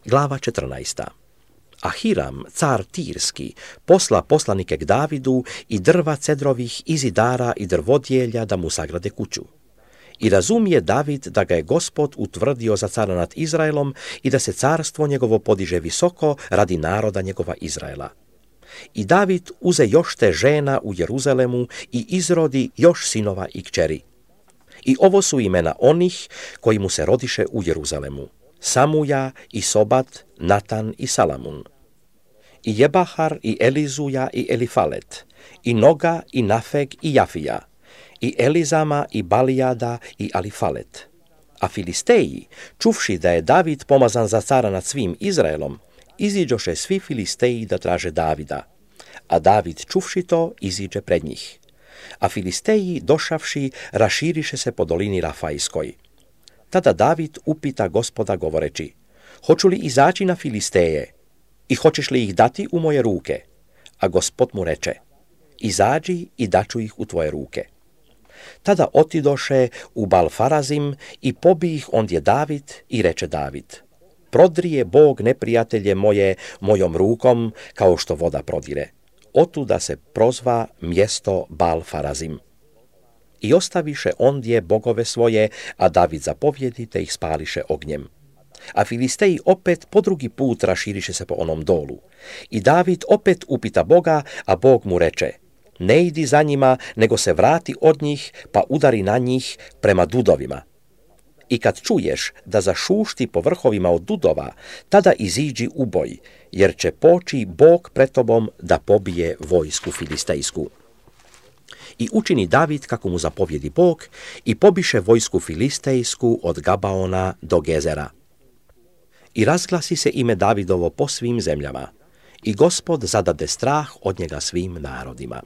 Glava 14. A Hiram, car Tirski, posla poslanike k Davidu i drva cedrovih i zidara i drvodjelja da mu sagrade kuću. I razumije David da ga je Gospod utvrdio za cara nad Izraelom i da se carstvo njegovo podiže visoko radi naroda njegova Izraela. I David uze još te žena u Jeruzalemu i izrodi još sinova i kćeri. I ovo su imena onih koji mu se rodiše u Jeruzalemu: Samuja i Sobat, Natan i Salamun. I Jebahar i Elizuja i Elifalet, i Noga i Nafeg i Jafija, i Elizama i Balijada i Alifalet. A Filisteji, čuvši da je David pomazan za cara nad svim Izraelom, iziđoše svi Filisteji da traže Davida, a David čuvši to iziđe pred njih. A Filisteji došavši raširiše se po dolini Rafajskoj. Tada David upita Gospoda govoreći: hoću li izaći na Filisteje i hoćeš li ih dati u moje ruke? A Gospod mu reče: izađi i daću ih u tvoje ruke. Tada otidoše u Balfarazim i pobi ih ondje David i reče David: prodrije Bog neprijatelje moje mojom rukom kao što voda prodire. Otuda se prozva mjesto Balfarazim. I ostaviše ondje bogove svoje, a David zapovjedi te ih spališe ognjem. A Filisteji opet po drugi put raširiše se po onom dolu. I David opet upita Boga, a Bog mu reče: ne idi za njima, nego se vrati od njih, pa udari na njih prema dudovima. I kad čuješ da zašušti po vrhovima od dudova, tada iziđi u boj, jer će poći Bog pred tobom da pobije vojsku filistejsku. I učini David kako mu zapovjedi Bog i pobiše vojsku filistejsku od Gabaona do Gezera. I razglasi se ime Davidovo po svim zemljama, i Gospod zadade strah od njega svim narodima.